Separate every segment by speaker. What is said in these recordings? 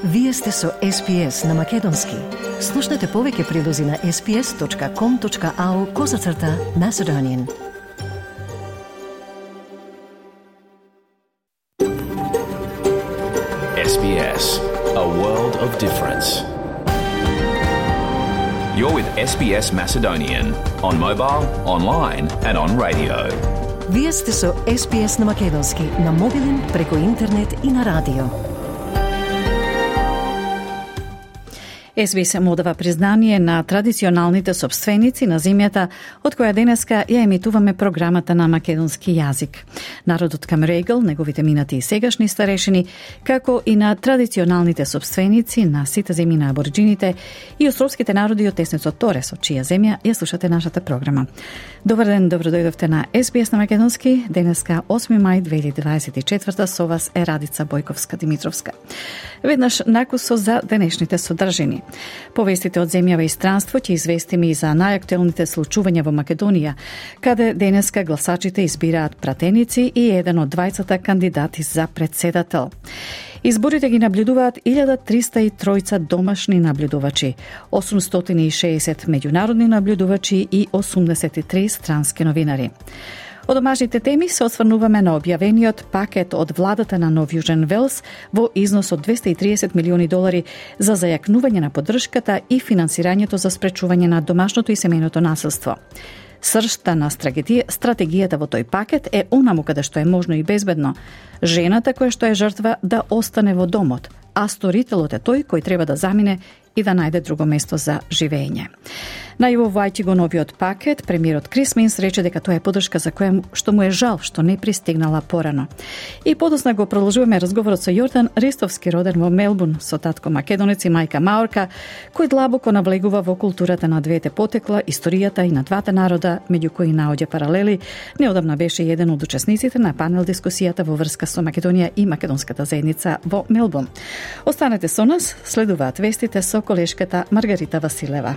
Speaker 1: Вие сте со SPS на Македонски. Слушнете повеќе прилози на sps.com.au/Macedonian.
Speaker 2: SBS, a world of difference. You're with SBS Macedonian on mobile, online and on radio.
Speaker 1: Вие сте со SPS на Македонски на мобилен, преку интернет и на радио.
Speaker 3: SBS му дава признание на традиционалните собственици на земјата, од која денеска ја емитуваме програмата на македонски јазик. Народот Камерегл, неговите минати и сегашни старешини, како и на традиционалните собственици на сите земји на абориджините и островските народи од теснецот Торес, од чија земја ја слушате нашата програма. Добар ден, добро дојдовте на SBS на Македонски. Денеска 8 мај 2024, со вас е Радица Бојковска-Димитровска. Веднаш накусо за денешните содржини. Повестите од земјава и странство ќе известиме и за најактуелните случувања во Македонија, каде денеска гласачите избираат пратеници и еден од двајцата кандидати за председател. Изборите ги наблюдуваат 1303 домашни наблюдувачи, 860 меѓународни наблюдувачи и 83 странски новинари. Од домашните теми се осврнуваме на објавениот пакет од владата на Нов Јужен Велс во износ од $230 милиони за зајакнување на поддршката и финансирањето за спречување на домашното и семејното насилство. Сршта на стратегијата во тој пакет е онаму каде што е можно и безбедно жената која што е жртва да остане во домот, а сторителот е тој кој треба да замине и да најде друго место за живење. Најавувајќи го новиот пакет, премиерот Крис Минс рече дека тоа е поддршка за која што му е жал што не пристигнала порано. И подосна го продолжуваме разговорот со Јордан Ристовски, роден во Мелбурн, со татко македонец и мајка маорка, кој длабоко навлегува во културата на двете потекла, историјата и на двата народа, меѓу кои наоѓа паралели. Неодамна беше еден од учесниците на панел дискусијата во врска со Македонија и македонската заедница во Мелбурн. Останете со нас, следуваат вестите со колешката Маргарита Василева.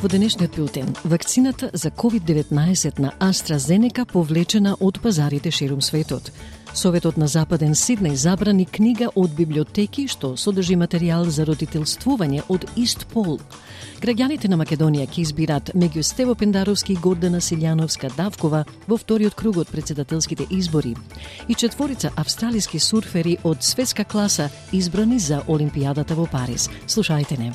Speaker 4: Во денешниот билтен, вакцината за COVID-19 на AstraZeneca повлечена од пазарите ширум светот. Советот на Западен Сиднеј забрани книга од библиотеки што содржи материјал за родителствување од ист пол. Граѓаните на Македонија ќе избират меѓу Стево Пендаровски и Гордана Силјановска-Давкова во вториот круг од председателските избори. И 4 австралиски сурфери од светска класа избрани за Олимпијадата во Париз. Слушајте не.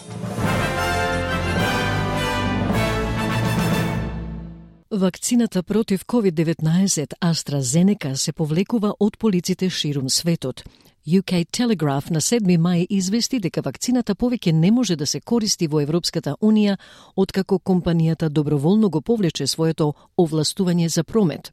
Speaker 4: Вакцината против COVID-19 AstraZeneca се повлекува од полиците ширум светот. UK Telegraph на 7 мај извести дека вакцината повеќе не може да се користи во Европската Унија откако компанијата доброволно го повлече своето овластување за промет.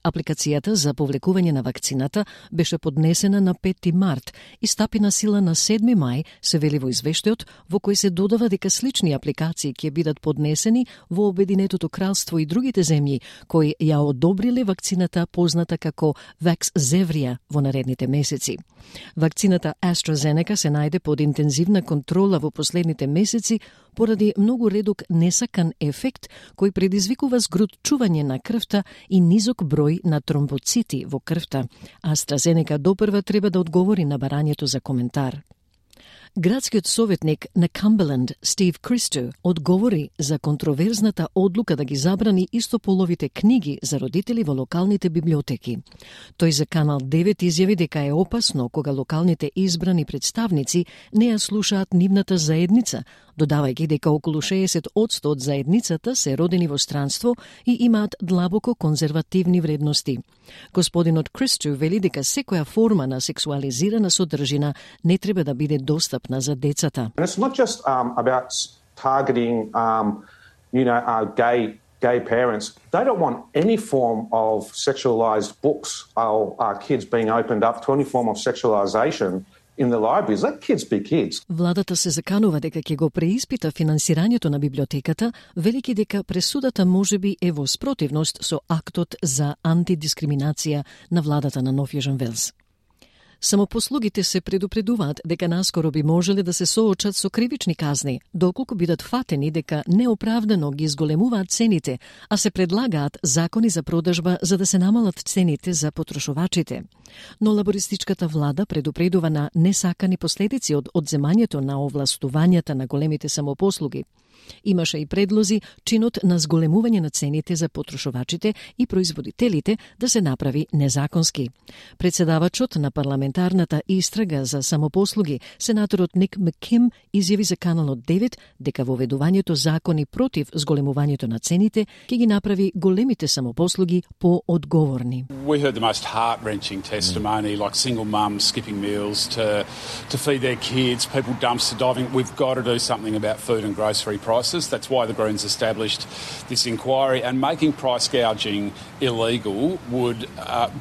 Speaker 4: Апликацијата за повлекување на вакцината беше поднесена на 5 март и стапи на сила на 7 мај, се вели во извештајот, во кој се додава дека слични апликации ќе бидат поднесени во Обединетото кралство и другите земји кои ја одобриле вакцината позната како Vaxzevria во наредните месеци. Вакцината AstraZeneca се најде под интензивна контрола во последните месеци поради многу редок несакан ефект кој предизвикува згрутчување на крвта и низок број на тромбоцити во крвта. AstraZeneca допрва треба да одговори на барањето за коментар. Градскиот советник на Камберленд, Стив Кристо, одговори за контроверзната одлука да ги забрани истополовите книги за родители во локалните библиотеки. Тој за Канал 9 изјави дека е опасно кога локалните избрани представници не ја слушаат нивната заедница, додавајќи дека околу 60% од заедницата се родени во странство и имаат длабоко конзервативни вредности. Господинот Кристо вели дека секоја форма на сексуализирана содржина не треба да биде достапна за децата.
Speaker 5: And it's not just about targeting, gay parents. They don't want any form of sexualized books or kids being opened up to any form of sexualization in the libraries. Let kids be kids.
Speaker 4: Владата се заканува дека ќе го преиспита финансирањето на библиотеката, велики дека пресудата можеби е во спротивност со актот за антидискриминација на владата на Нов Јужен Велс. Самопослугите се предупредуваат дека наскоро би можеле да се соочат со кривични казни, доколку бидат фатени дека неоправдано ги изголемуваат цените, а се предлагаат закони за продажба за да се намалат цените за потрошувачите. Но лабористичката влада предупредува на несакани последици од одземањето на овластувањата на големите самопослуги. Имаше и предлози чинот на зголемување на цените за потрошувачите и производителите да се направи незаконски. Председавачот на парламентарната истрага за самопослуги, сенаторот Ник Макким, изјави за Каналот 9 дека воведувањето закони против зголемувањето на цените ќе ги направи големите самопослуги поодговорни.
Speaker 6: We heard the most heart-wrenching testimony, like single mums skipping meals to feed their kids, people dumpster diving. We've got to do something about food and grocery prices. That's why the Greens established this inquiry, and making price gouging illegal would,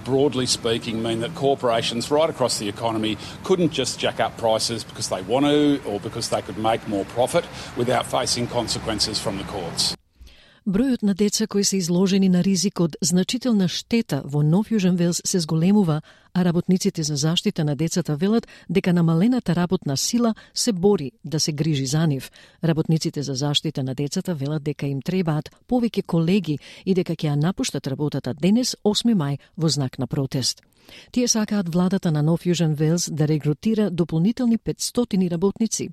Speaker 6: broadly speaking, mean that corporations right across the economy couldn't just jack up prices because they want to or because they could make more profit without facing consequences from the courts.
Speaker 4: Бројот на деца кои се изложени на ризик од значителна штета во Нов Јужен Велс се зголемува, а работниците за заштита на децата велат дека намалената работна сила се бори да се грижи за нив. Работниците за заштита на децата велат дека им требаат повеќе колеги и дека ќе ја напуштат работата денес, 8 мај, во знак на протест. Тие сакаат владата на Нов Јужен Велс да регрутира дополнителни 500 работници.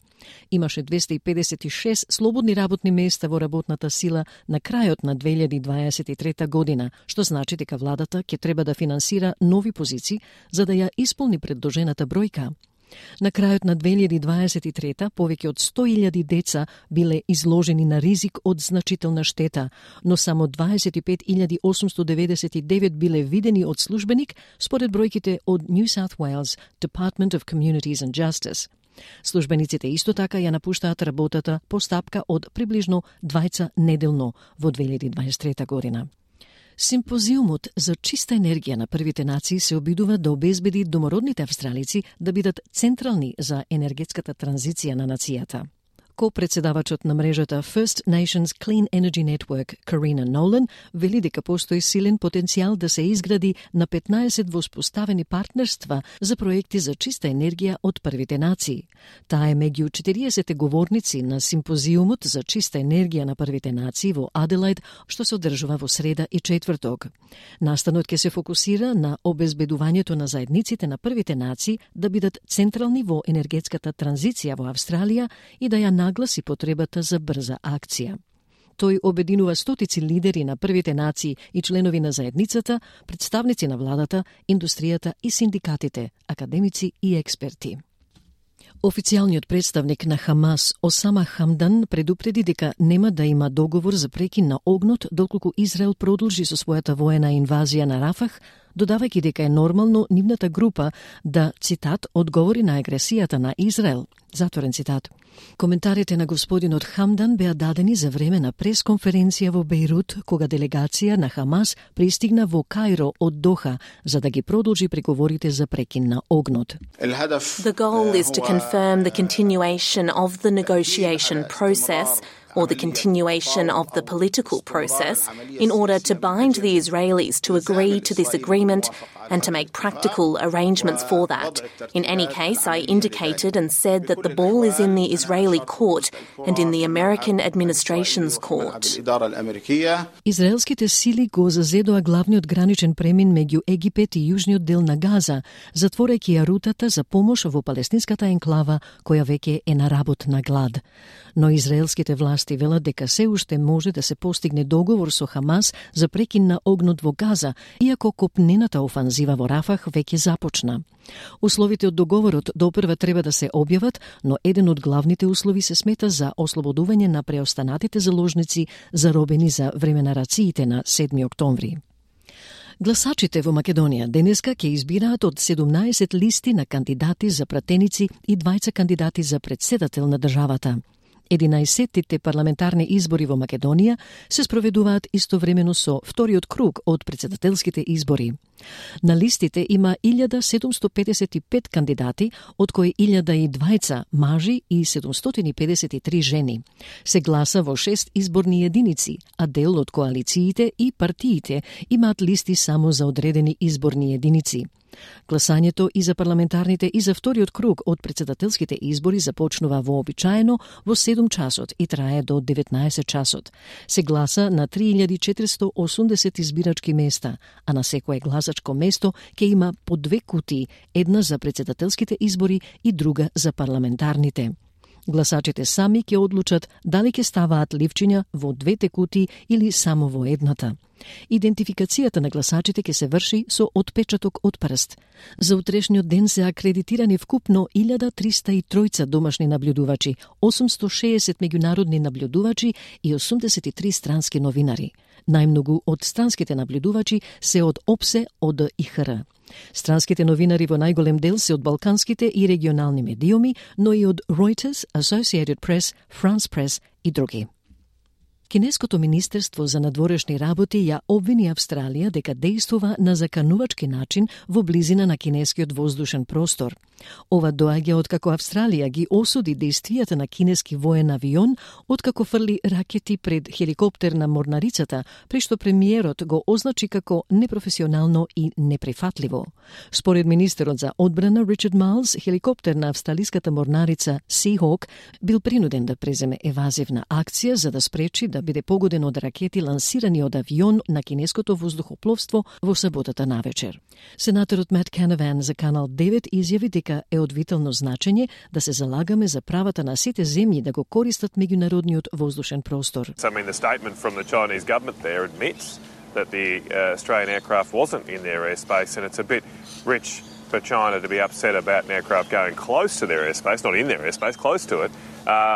Speaker 4: Имаше 256 слободни работни места во работната сила на крајот на 2023 година, што значи дека владата ќе треба да финансира нови позиции за да ја исполни предложената бројка. На крајот на 2023 повеќе од 100.000 деца биле изложени на ризик од значителна штета, но само 25.899 биле видени од службеник според бројките од New South Wales Department of Communities and Justice. Службениците исто така ја напуштаат работата по стапка од приближно 2 неделно во 2023 година. Симпозиумот за чиста енергија на првите нации се обидува да обезбеди домородните австралици да бидат централни за енергетската транзиција на нацијата. Ко-председавачот на мрежата First Nations Clean Energy Network, Karina Nolan, вели дека постои силен потенцијал да се изгради на 15 воспоставени партнерства за проекти за чиста енергија од првите нации. Таа е меѓу 40 говорници на симпозиумот за чиста енергија на првите нации во Аделаид, што се одржува во среда и четврток. Настанот ќе се фокусира на обезбедувањето на заедниците на првите нации да бидат централни во енергетската транзиција во Австралија и да ја нагласи потребата за брза акција. Тој обединува стотици лидери на првите нации и членови на заедницата, представници на владата, индустријата и синдикатите, академици и експерти. Официјалниот представник на Хамас, Осама Хамдан, предупреди дека нема да има договор за прекин на огнот доколку Израел продолжи со својата воена инвазија на Рафах, додавајќи дека е нормално нивната група да, цитат, одговори на агресијата на Израел. Затворен цитат. Коментарите на господинот Хамдан беа дадени за време на пресконференција во Бејрут, кога делегација на Хамас пристигна во Кајро од Доха, за да ги продолжи преговорите за прекин на огнот.
Speaker 7: The goal is to confirm the continuation of the negotiation process or the continuation of the political process in order to bind the Israelis to agree to this agreement and to make practical arrangements for that. In any case, I indicated and said that the ball is in the Israeli court and in the American administration's court.
Speaker 4: Израелските сили го зазедоа главниот граничен премин меѓу Египет и јужниот дел на Газа, затворајќи ја рутата за помош во палестинската енклава, која веќе е на работна глад. Но израелските власти велат дека се уште може да се постигне договор со Хамас за прекин на огнот во Газа, иако копнената офанзива во Рафах веќе започна. Условите од договорот допрва треба да се објават, но еден од главните услови се смета за ослободување на преостанатите заложници заробени за време на рациите на 7 октомври. Гласачите во Македонија денеска ќе избираат од 17 листи на кандидати за пратеници и 20 кандидати за претседател на државата. 11-тите парламентарни избори во Македонија се спроведуваат истовремено со вториот круг од претседателските избори. На листите има 1755 кандидати, од кои 1020 мажи и 753 жени. Се гласа во 6 изборни единици, а дел од коалициите и партиите имаат листи само за одредени изборни единици. Гласањето и за парламентарните и за вториот круг од председателските избори започнува вообичаено во 7 часот и трае до 19 часот. Се гласа на 3480 избирачки места, а на секое гласачко место ќе има по 2 кутии, една за председателските избори и друга за парламентарните. Гласачите сами ќе одлучат дали ќе ставаат ливчиња во 2 кутии или само во едната. Идентификацијата на гласачите ќе се врши со отпечаток од прст. За утрешниот ден се акредитирани вкупно 1303 домашни наблюдувачи, 860 меѓународни наблюдувачи и 83 странски новинари. Најмногу од странските наблюдувачи се од ОПСЕ од ИХР. Странските новинари во најголем дел се од балканските и регионални медиуми, но и од Reuters, Associated Press, France Press и други. Кинеското министерство за надворешни работи ја обвини Австралија дека действува на заканувачки начин во близина на кинескиот воздушен простор. Ова доаѓа откако Австралија ги осуди действијата на кинески воен авион откако фрли ракети пред хеликоптер на морнарицата, при што премиерот го означи како непрофесионално и неприфатливо. Според министерот за одбрана Ричард Майлс, хеликоптер на австралиската морнарица Seahawk бил принуден да преземе евазивна акција за да спречи да биде погоден од ракети лансирани од авион на кинеското воздухопловство во саботата навечер. Сенаторот Мат Канаван за Канал 9 изјави дека е од витално значење да се залагаме за правата на сите земји да го користат меѓународниот воздушен простор.
Speaker 8: So, I mean, the statement from the Chinese government there admits that the Australian aircraft wasn't in their airspace, and it's a bit rich for China to be upset about an aircraft going close to their airspace, not in their airspace, close to it,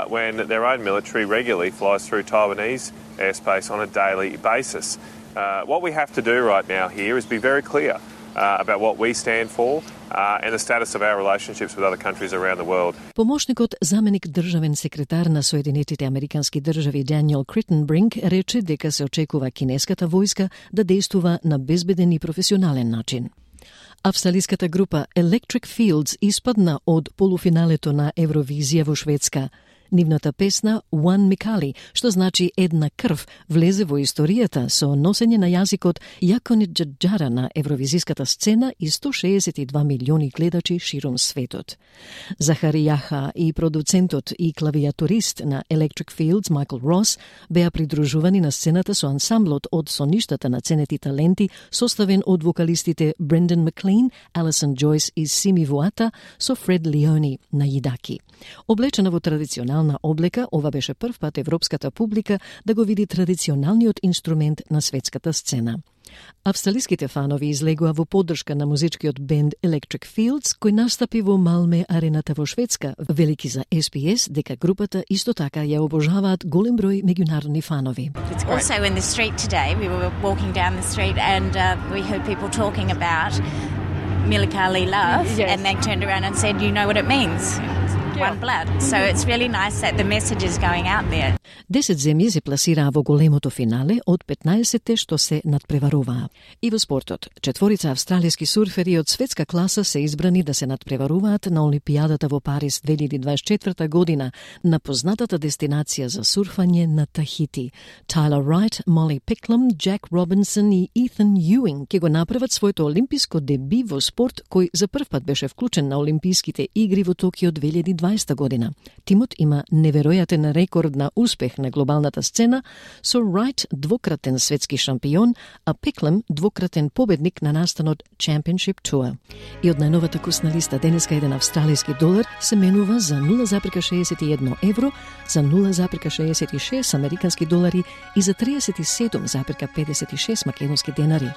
Speaker 8: when their own military regularly flies through Taiwanese airspace on a daily basis. What we have to do right now here is be very clear about what we stand for and the status of our relationships with other countries around the world.
Speaker 4: Помошникот заменик државен секретар на Соединетите Американски држави Даниел Криттенбринк рече дека се очекува кинеската војска да действува на безбеден и професионален начин. Австралиската група Electric Fields испадна од полуфиналето на Евровизија во Шведска. Нивната песна One Mikali, што значи една крв, влезе во историјата со носење на јазикот Јаконит Џаџара на евровизиската сцена и 162 милиони гледачи широм светот. Захари Јаха и продуцентот и клавиатурист на Electric Fields Майкл Рос беа придружувани на сцената со ансамблот од соништата на ценети таленти, составен од вокалистите Брендан Маклин, Алисон Джойс и Сими Вуата со Фред Леони на јидаки. Облечена во традиционална облека, ова беше прв пат европската публика да го види традиционалниот инструмент на светската сцена. Австралиските фанови излегува во поддршка на музичкиот бенд Electric Fields, кој настапи во Малме арената во Шведска, велики за SBS дека групата исто така ја обожаваат голем број меѓународни фанови.
Speaker 9: Also in the street today, we were walking down the street and we heard people talking about Milikali love, yes. And they turned around and said, you know what it means? One blood. So it's really nice that the message is going out there.
Speaker 4: 10 земји се пласираа во големото финале од 15-те што се надпреваруваа. И во спортот, 4 австралиски сурфери од светска класа се избрани да се надпреваруваат на Олимпијадата во Париз 2024 година на познатата дестинација за сурфање на Тахити. Тайлер Райт, Молли Пиклам, Джек Робинсон и Етhan Юинг ќе го направат своето олимписко деби во спорт кој за прв пат беше вклучен на Олимписките игри во Токио 2020 година. Тимот има неверојатен рекорд на успех на глобалната сцена, со Райт двократен светски шампион, а Пиклам двократен победник на настанот Championship Tour. И од најновата курсна листа денеска еден австралиски долар се менува за 0,61 евро, за 0,66 американски долари и за 37,56 македонски денари.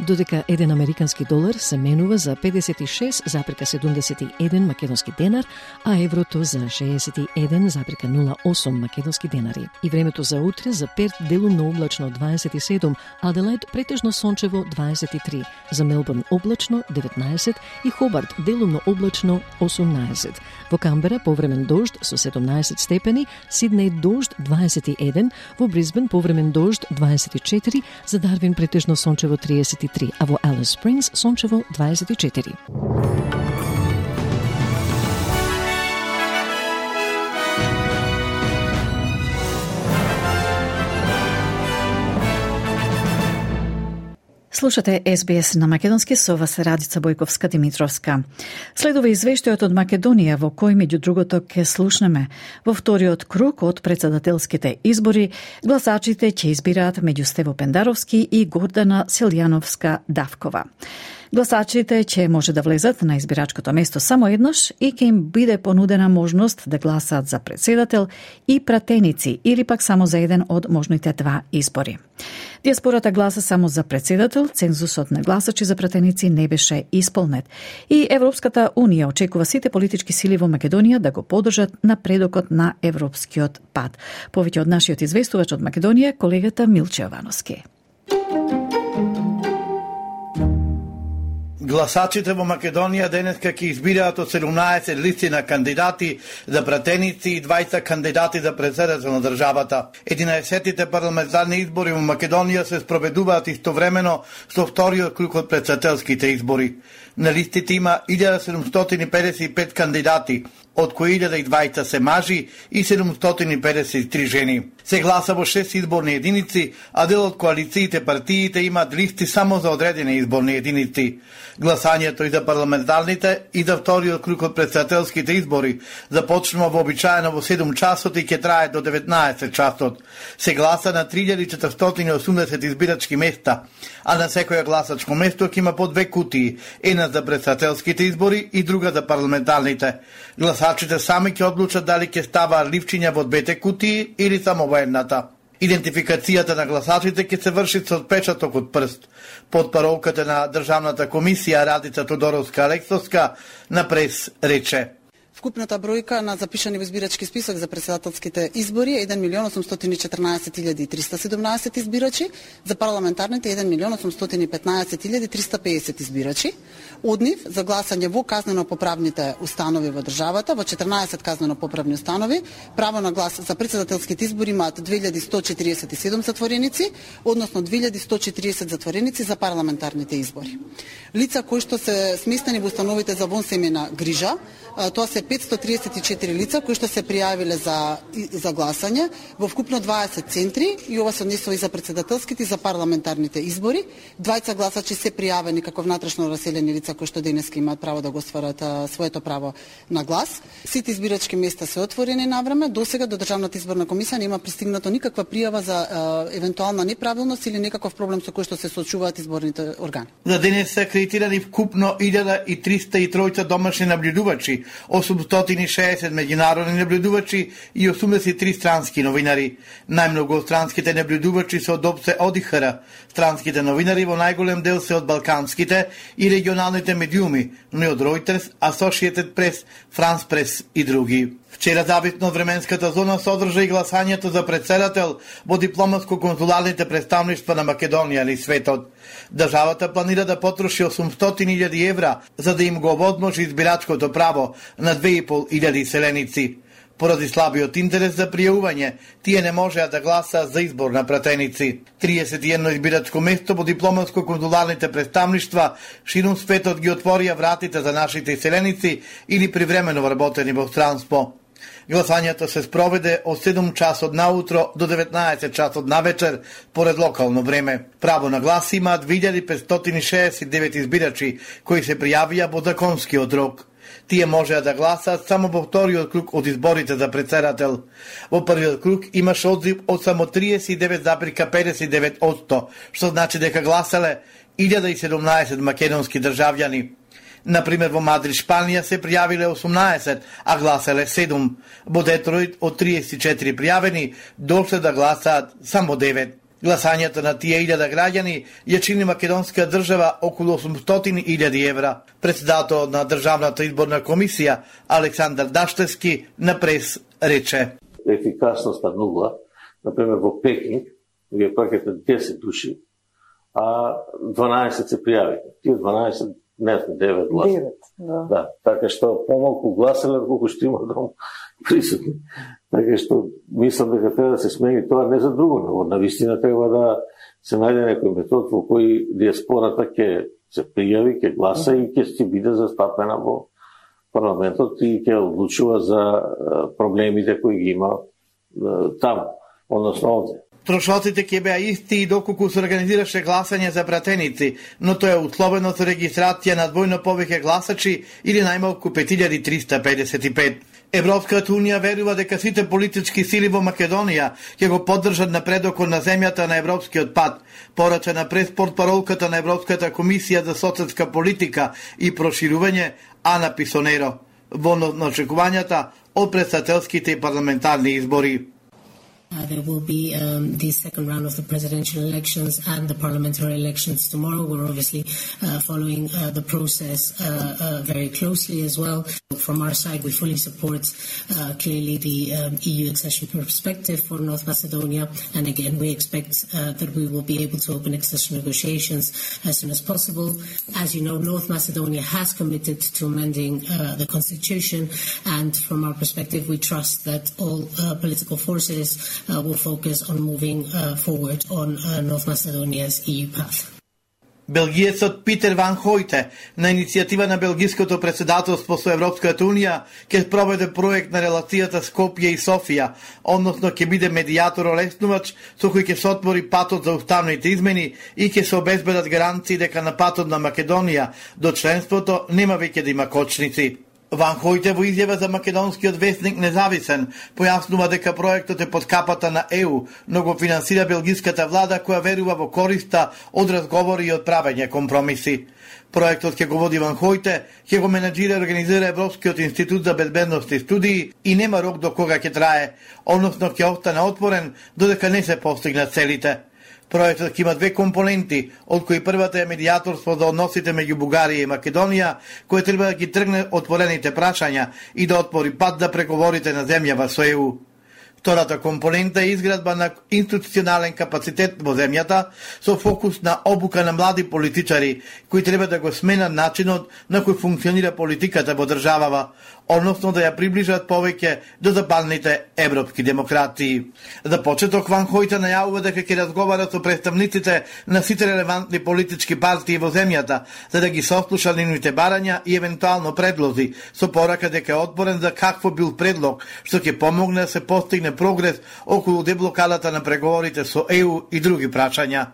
Speaker 4: Додека еден американски долар се менува за 56,71 македонски денар, а еврото за 61,08 македонски денари. И времето за утре за Перт делумно облачно 27, Аделаид претежно сончево 23, за Мелбурн облачно 19 и Хобарт делумно облачно 18. Во Камбера повремен дожд со 17 степени, Сиднеј дожд 21, во Брисбен повремен дожд 24, за Дарвин претежно сончево 33, а во Алис Спрингс сончево 24.
Speaker 3: Слушате SBS на македонски, со вас Радица Бојковска-Димитровска. Следува извештајот од Македонија во кој меѓу другото ќе слушнеме. Во вториот круг од председателските избори гласачите ќе избираат меѓу Стево Пендаровски и Гордана Силјановска-Давкова. Гласачите ќе може да влезат на избирачкото место само еднаш и ќе им биде понудена можност да гласаат за председател и пратеници или пак само за еден од можните два избори. Диаспората гласа само за председател, цензусот на гласачи за пратеници не беше исполнет и Европската Унија очекува сите политички сили во Македонија да го поддржат напредокот на европскиот пат. Повеќе од нашиот известувач од Македонија, колегата Милче Јовановски.
Speaker 10: Гласачите во Македонија денеска ќе избираат од 17 листи на кандидати за пратеници и 20 кандидати за председател на државата. 11-тите парламентарни избори во Македонија се спроведуваат истовремено со вториот круг од председателските избори. На листите има 1755 кандидати, од кои 1020 се мажи и 753 жени. Се гласа во 6 изборни единици, а дел од коалициите партиите имаат листи само за одредени изборни единици. Гласањето и за парламентарните и за вториот круг од председателските избори започнува вообичаено во 7 часот и ќе трае до 19 часот. Се гласа на 3480 избирачки места, а на секоја гласачко место ќе има по 2 кутии, една за председателските избори и друга за парламентарните. Гласачите сами ќе одлучат дали ќе ставаат ливчиња во двете кутии или само во едната. Идентификацијата на гласачите ќе се врши со отпечаток од прст. Под паролката на Државната комисија Радица Тодоровска-Алексовска на прес рече:
Speaker 11: Вкупната бројка на запишани во избирачки список за председателските избори е 1.814.317 избирачи, за парламентарните 1.815.350 избирачи. Од нив за гласање во казнено-поправните установи во државата, во 14 казнено-поправни установи, право на глас за председателските избори имаат 2147 затвореници, односно 2140 затвореници за парламентарните избори. Лица кои што се сместени во установите за вонсемена грижа, тоа се 534 лица кои што се пријавиле за гласање во вкупно 20 центри и ова се однесува и за председателските и за парламентарните избори. 20 гласачи се пријавени како внатрешно раселени лица кои што денеска имаат право да го остварат своето право на глас. Сите избирачки места се отворени навреме. Досега до Државната изборна комисија нема пристигнато никаква пријава за евентуална неправилност или некаков проблем со кој што се соочуваат изборните органи.
Speaker 10: За денес се акредитирани вкупно 1303 домашни наблюдувачи, 860 меѓународни наблюдувачи и 83 странски новинари. Најмногу странските наблюдувачи се од ОПСЕ ОДИХР. Странските новинари во најголем дел се од балканските и регионалните медиуми, но и од Reuters, Associated Press, France Press и други. Вчера зависно од временската зона содржа и гласањето за председател во дипломатско-консуларните представништва на Македонија или светот. Државата планира да потроши 800.000 евра за да им го овозможи избирачкото право на 2.500 селеници. Поради слабиот интерес за пријавување, тие не можеа да гласаат за избор на пратеници. 31 избирачко место во дипломатско-консуларните представништва ширум светот ги отворија вратите за нашите селеници или привремено вработени во странство. Гласањето се спроведе од 7 часот наутро до 19 часот навечер поред локално време. Право на глас имаат 2569 избирачи кои се пријавија во законскиот рок. Тие можеа да гласаат само во вториот круг од изборите за председател. Во првиот круг имаше одзив од само 39,59%, што значи дека гласале 1017 македонски државјани. Например, во Мадрид, Шпанија се пријавиле 18, а гласале 7. Во Детройт од 34 пријавени дошле да гласаат само 9. Гласањето на тие 1000 граѓани ја чини македонска држава околу 800.000 евра. Председател на Државната изборна комисија Александар Даштевски на прес рече:
Speaker 12: Ефикасноста нула. Например, во Пекинг, вие пакете 10 души, а 12 се пријавиле. Тие 12 не 9 гласа. Да, така што помалку гласале колку што има дом присутни. Така што мислам дека треба да се смени тоа не за друго, но навистина треба да се најде некој метод во кој диаспората ќе се пријави, ќе гласа и ќе биде застапена во парламентот и ќе одлучува за проблемите кои ги има таму, односно овде.
Speaker 10: Трошоците ќе беа исти и доколку се организираше гласање за пратеници, но тоа е условено со регистрација на двојно повеќе гласачи или најмалку 5355. Европската унија верува дека сите политички сили во Македонија ќе го поддржат напредокот на земјата на европскиот пат, порача на преспортпаролката на Европската комисија за социјална политика и проширување Ана Писонеро, во очекувањата од претседателските и парламентарни избори.
Speaker 13: There will be the second round of the presidential elections and the parliamentary elections tomorrow. We're obviously following the process very closely as well. From our side, we fully support clearly the EU accession perspective for North Macedonia. And again, we expect that we will be able to open accession negotiations as soon as possible. As you know, North Macedonia has committed to amending the constitution. And from our perspective, we trust that all political forces will focus on moving forward on North Macedonia's EU path.
Speaker 10: Белгиецот Питер Ван Хојте на иницијатива на белгиското претседателство со Европската унија ќе спроведе проект на релацијата Скопје и Софија, односно ќе биде медијатор олеснувач со кој ќе се отвори патот за уставните измени и ќе се обезбедат гаранции дека на патот на Македонија до членството нема веќе да има кочници. Ван Хојте во изјава за македонскиот весник Независен појаснува дека проектот е под капата на ЕУ, но го финансира белгиската влада која верува во користа од разговори и од правење компромиси. Проектот ќе го води Ван Хојте, ќе го менаџира и организира Европскиот институт за безбедност и студии и нема рок до кога ќе трае, односно ќе остане отворен додека не се постигнат целите. Проектот ќе има две компоненти, од кои првата е медијаторство за односите меѓу Бугарија и Македонија, кој треба да ги тргне отворените прашања и да отвори пат за преговорите на земјава со ЕУ. Втората компонента е изградба на институционален капацитет во земјата со фокус на обука на млади политичари кои треба да го сменат начинот на кој функционира политиката во државава, односно да ја приближат повеќе до западните европски демократии. За почеток Ван Хојте најавува дека ќе разговара со представниците на сите релевантни политички партии во земјата за да ги сослуша нивните барања и евентуално предлози, со порака дека е отворен за какво бил предлог што ќе помогне да се постигне прогрес околу деблокадата на преговорите со ЕУ и други прашања.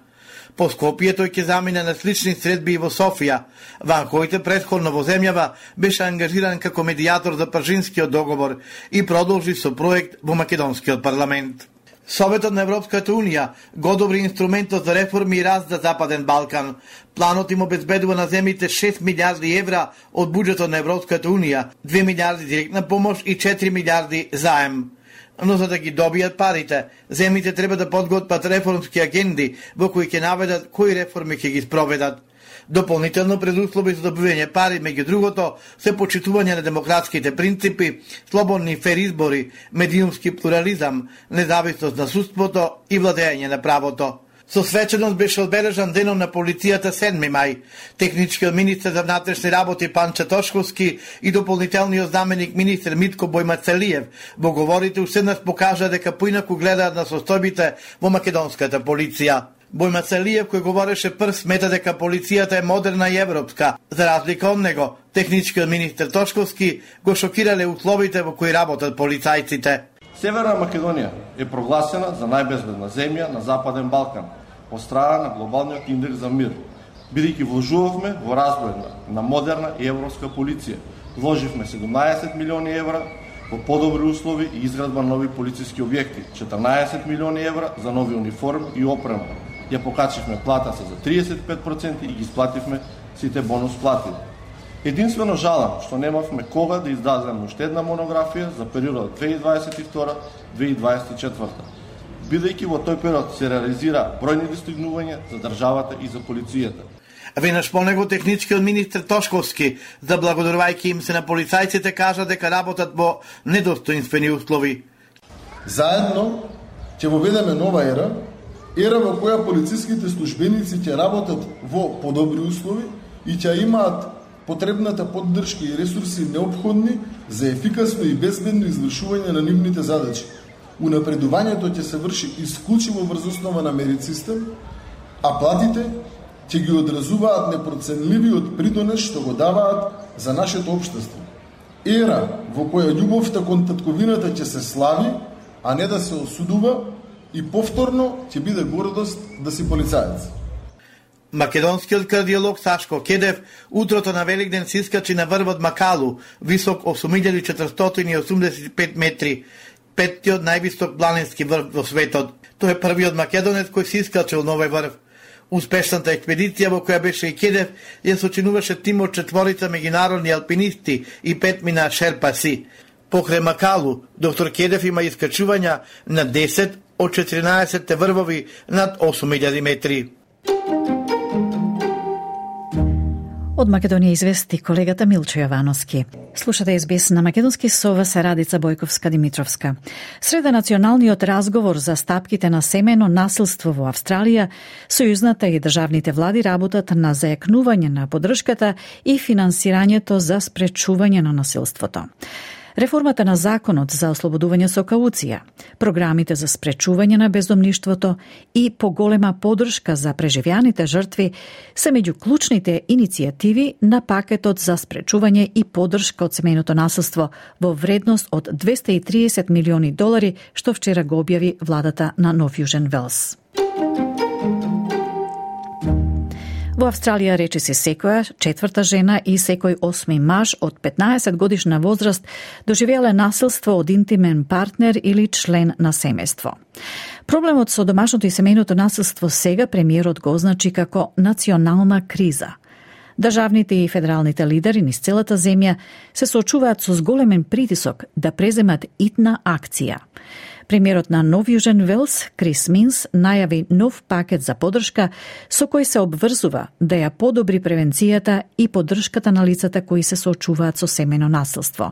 Speaker 10: По Скопје тој ќе замине на слични средби и во Софија. Ван Хојте предходно во земјава беше ангажиран како медијатор за Пржинскиот договор и продолжи со проект во македонскиот парламент. Советот на Европската унија го одобри инструментот за реформи и раст за Западен Балкан. Планот им обезбедува на земјите 6 милиарди евра од буџетот на Европската унија, 2 милиарди директна помош и 4 милиарди заем. Но за да ги добијат парите, земјите треба да подготват реформски агенди во кои ќе наведат кои реформи ќе ги спроведат. Дополнително предуслови за добивање пари, меѓу другото, се почитување на демократските принципи, слободни фер избори, медиумски плурализам, независност на судството и владење на правото. Со свеченост беше одбележан денот на полицијата 7 мај. Техничкиот министер за внатрешни работи Панче Тошковски и дополнителниот заменик министер Митко Бојмацелиев во говорите уште еднаш покажа дека поинаку гледаат на состојбите во македонската полиција. Бојмацелиев, кој говореше прв, смета дека полицијата е модерна и европска. За разлика од него, техничкиот министер Тошковски го шокирале условите во кои работат полицајците.
Speaker 14: Северна Македонија е прогласена за најбезбедна земја на Западен Балкан од страна на глобалниот индекс за мир, бидејќи вложувавме во развој на модерна и европска полиција. Вложивме 17 милиони евра во подобри услови и изградба нови полициски објекти, 14 милиони евра за нови униформи и опрема. Ја покачивме плата се за 35% и ги исплативме сите бонус плати. Единствено жалам што немавме кога да издадеме уште една монографија за периодот 2022-2024, бидејќи во тој период се реализира бројни достигнувања за државата и за полицијата.
Speaker 10: Веднаш по него техничкиот министер Тошковски, заблагодарувајќи им се на полицајците, кажа дека работат во недостоинствени услови.
Speaker 15: Заедно ќе воведеме нова ера во која полициските службеници ќе работат во подобри услови и ќе имаат потребната поддршка и ресурси неопходни за ефикасно и безбедно извршување на нивните задачи. Унапредувањето ќе се врши исклучиво врз основа на мерит систем, а платите ќе ги одразуваат непроценливиот придонес што го даваат за нашето општество. Ера во која љубовта кон татковината ќе се слави, а не да се осудува, и повторно ќе биде гордост да си полицаец.
Speaker 10: Македонскиот кардиолог Сашко Кедев утрото на Великден се искачи на врвот Макалу, висок 8485 метри, петтиот највисок планински врв во светот. Тој е првиот македонец кој се искачил на овој врв. Успешната експедиција во која беше и Кедев ја сочинуваше тим од 4 меѓународни алпинисти и 5 мина шерпаси. Покрај Макалу, доктор Кедев има искачувања на 10 од 14 врвови над 8000 метри.
Speaker 3: Од Македонија извести колегата Милчо Јовановски. Слушате СБС на македонски со вас Радица Бојковска-Димитровска. Среда националниот разговор за стапките на семено насилство во Австралија, сојузната и државните влади работат на зајакнување на поддршката и финансирањето за спречување на насилството. Реформата на законот за ослободување со кауција, програмите за спречување на бездомништвото и поголема поддршка за преживеаните жртви се меѓу клучните иницијативи на пакетот за спречување и поддршка од семејното насилство во вредност од $230 милиони, што вчера го објави владата на Нов Јужен Велс. Во Австралија речиси секоја четврта жена и секој 8 маж од 15 годишна возраст доживеале насилство од интимен партнер или член на семејство. Проблемот со домашното и семејното насилство сега премиерот го означи како национална криза. Државните и федералните лидери низ целата земја се соочуваат со зголемен притисок да преземат итна акција. Премиерот на Нов Јужен Велс, Крис Минс, најави нов пакет за поддршка со кој се обврзува да ја подобри превенцијата и поддршката на лицата кои се соочуваат со семејно насилство.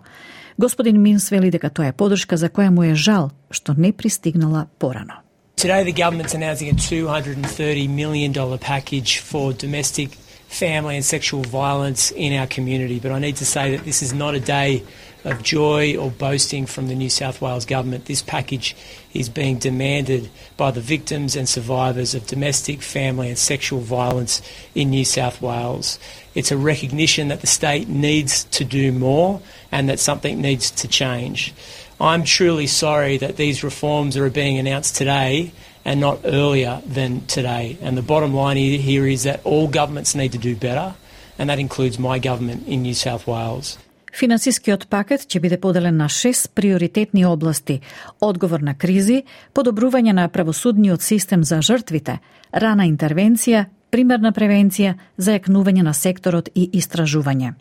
Speaker 3: Господин Минс вели дека тоа е поддршка за која му е жал што не пристигнала порано.
Speaker 16: Today the government's announcing a $230 million package for domestic, family and sexual violence in our community, but I need to say that this is not a day of joy or boasting from the New South Wales government. This package is being demanded by the victims and survivors of domestic, family and sexual violence in New South Wales. It's a recognition that the state needs to do more and that something needs to change. I'm truly sorry that these reforms are being announced today and not earlier than today. And the bottom line here is that all governments need to do better, and that includes my government in New South Wales.
Speaker 3: Финансискиот пакет ќе биде поделен на 6 приоритетни области: одговор на кризи, подобрување на правосудниот систем за жртвите, рана интервенција, примерна превенција, зајакнување на секторот и истражување.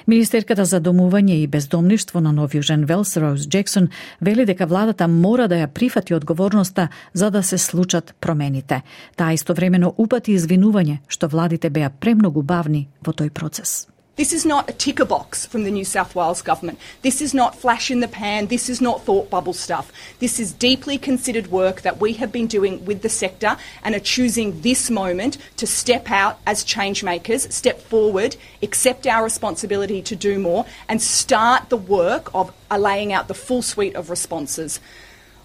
Speaker 3: Министерката за домување и бездомништво на Нов Јужен Велс, Роуз Джексон, вели дека владата мора да ја прифати одговорноста за да се случат промените. Таа истовремено упати извинување што владите беа премногу бавни во тој процес.
Speaker 17: This is not a ticker box from the New South Wales government. This is not flash in the pan. This is not thought bubble stuff. This is deeply considered work that we have been doing with the sector and are choosing this moment to step out as change makers, step forward, accept our responsibility to do more and start the work of laying out the full suite of responses.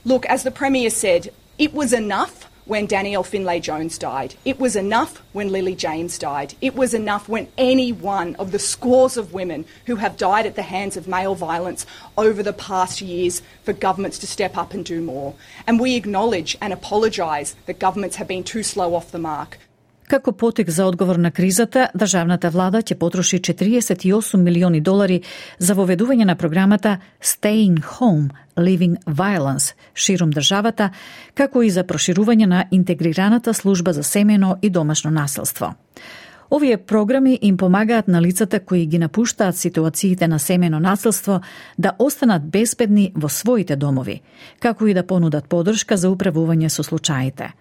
Speaker 17: Look, as the Premier said, it was enough when Danielle Finlay-Jones died. It was enough when Lily James died. It was enough when any one of the scores of women who have died at the hands of male violence over the past years for governments to step up and do more. And we acknowledge and apologise that governments have been too slow off the mark.
Speaker 3: Како потек за одговор на кризата, државната влада ќе потроши $48 милиони за воведување на програмата Staying Home, Leaving Violence ширум државата, како и за проширување на интегрираната служба за семејно и домашно насилство. Овие програми им помагаат на лицата кои ги напуштаат ситуациите на семејно насилство да останат безбедни во своите домови, како и да понудат поддршка за управување со случаите.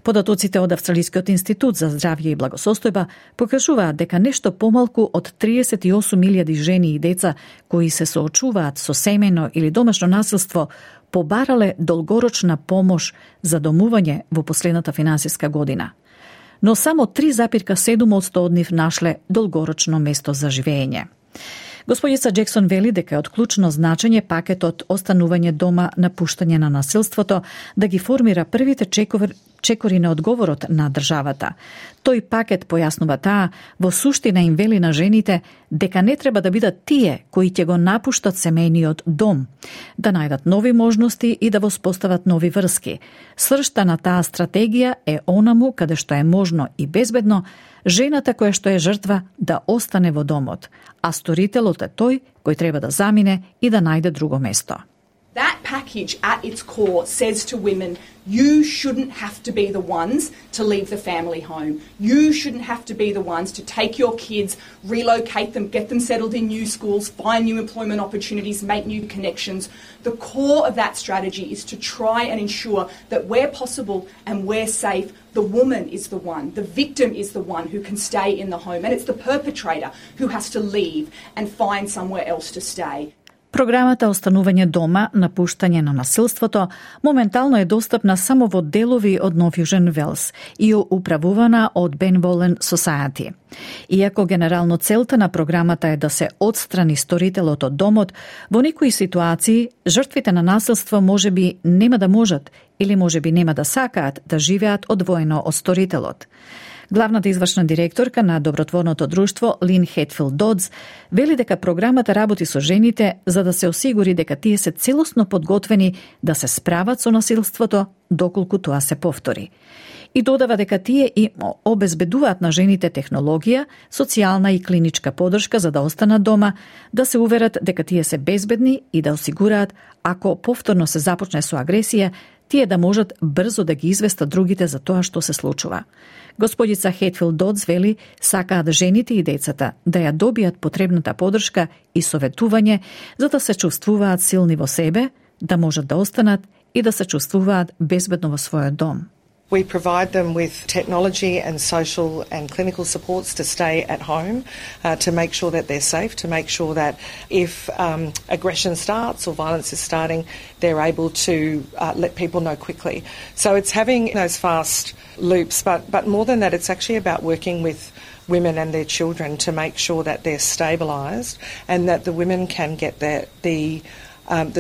Speaker 3: Податоците од Австралискиот институт за здравје и благосостојба покажуваат дека нешто помалку од 38.000 жени и деца кои се соочуваат со семејно или домашно насилство побарале долгорочна помош за домување во последната финансиска година. Но само 3,7% од нив нашле долгорочно место за живење. Господица Джексон вели дека е од клучно значење пакетот останување дома, напуштање на насилството, да ги формира првите чекори на одговорот на државата. Тој пакет, појаснува таа, во суштина им вели на жените дека не треба да бидат тие кои ќе го напуштат семејниот дом, да најдат нови можности и да воспостават нови врски. Сршта на таа стратегија е онаму каде што е можно и безбедно жената која што е жртва да остане во домот, а сторителот е тој кој треба да замине и да најде друго место.
Speaker 17: That package at its core says to women, you shouldn't have to be the ones to leave the family home. You shouldn't have to be the ones to take your kids, relocate them, get them settled in new schools, find new employment opportunities, make new connections. The core of that strategy is to try and ensure that where possible and where safe, the woman is the one, the victim is the one who can stay in the home, and it's the perpetrator who has to leave and find somewhere else to stay.
Speaker 3: Програмата Останување дома, напуштање на насилството, моментално е достапна само во делови од Нов Јужен Велс и управувана од Benevolent Society. Иако генерално целта на програмата е да се отстрани сторителот од домот, во некои ситуации жртвите на насилство можеби нема да можат или можеби нема да сакаат да живеат одвоено од сторителот. Главната извршна директорка на добротворното друштво Лин Хетфилд Додс вели дека програмата работи со жените за да се осигури дека тие се целосно подготвени да се справат со насилството доколку тоа се повтори. И додава дека тие и обезбедуваат на жените технологија, социјална и клиничка поддршка за да останат дома, да се уверат дека тие се безбедни и да осигураат ако повторно се започне со агресија, тие да можат брзо да ги известат другите за тоа што се случува. Господица Хетфилд Додс вели сакаат жените и децата да ја добијат потребната поддршка и советување за да се чувствуваат силни во себе, да можат да останат и да се чувствуваат безбедно во својот дом.
Speaker 18: We provide them with technology and social and clinical supports to stay at home, to make sure that they're safe, to make sure that if aggression starts or violence is starting, they're able to let people know quickly. So it's having those fast loops, but more than that, it's actually about working with women and their children to make sure that they're stabilised and that the women can get the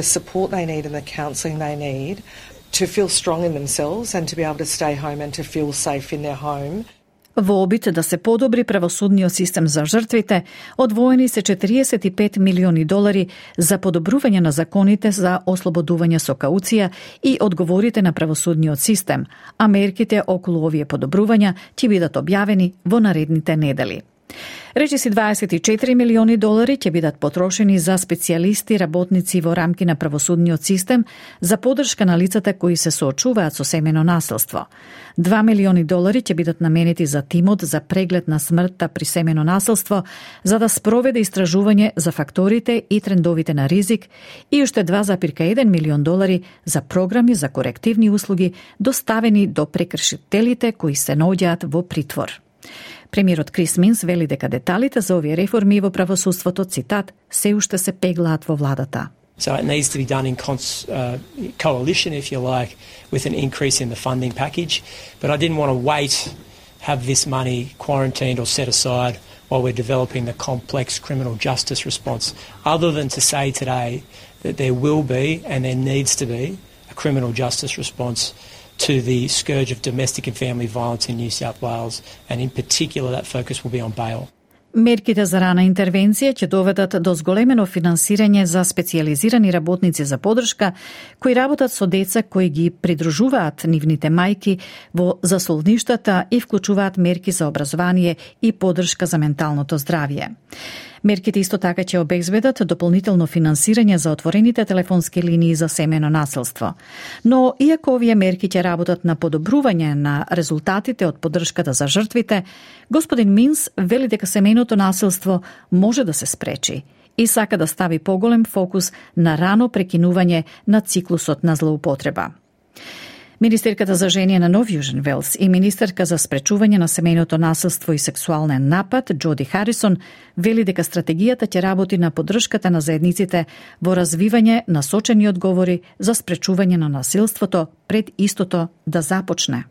Speaker 18: support they need and the counselling they need to feel strong in themselves and to be able to stay home and to feel safe in their home.
Speaker 3: Во обид да се подобри правосудниот систем за жртвите, одвоени се $45 милиони за подобрување на законите за ослободување со кауција и одговорите на правосудниот систем, а мерките околу овие подобрувања ќе бидат објавени во наредните недели. Речиси $24 милиони ќе бидат потрошени за специјалисти работници во рамки на правосудниот систем за поддршка на лицата кои се соочуваат со семејно насилство. $2 милиони ќе бидат наменети за тимот за преглед на смртта при семејно насилство за да спроведе истражување за факторите и трендовите на ризик и уште $2,1 милион за програми за корективни услуги доставени до прекршителите кои се наоѓаат во притвор. Премиерот Крис Минс вели дека деталите за овие реформи во правосудството, цитат, се уште се пеглаат во владата.
Speaker 16: So it needs to be done in coalition, if you like, with an increase in the funding package. But I didn't want to wait, have this money quarantined or set aside while we're developing the complex criminal justice response, other than to say today that there will be and there needs to be a criminal justice response to the scourge of domestic and family violence in New South Wales, and in particular that focus will be on bail.
Speaker 3: Мерките за рана интервенција ќе доведат до зголемено финансирање за специјализирани работници за поддршка кои работат со деца кои ги придружуваат нивните мајки во засолништата и вклучуваат мерки за образование и поддршка за менталното здравје. Мерките исто така ќе обезбедат дополнително финансирање за отворените телефонски линии за семејно насилство. Но иако овие мерки ќе работат на подобрување на резултатите од поддршката за жртвите, господин Минс вели дека семејното насилство може да се спречи и сака да стави поголем фокус на рано прекинување на циклусот на злоупотреба. Министерката за жени на Нов Јужен Велс и министерка за спречување на семејното насилство и сексуален напад Джоди Харисон вели дека стратегијата ќе работи на поддршката на заедниците во развивање насочени одговори за спречување на насилството пред истото да започне.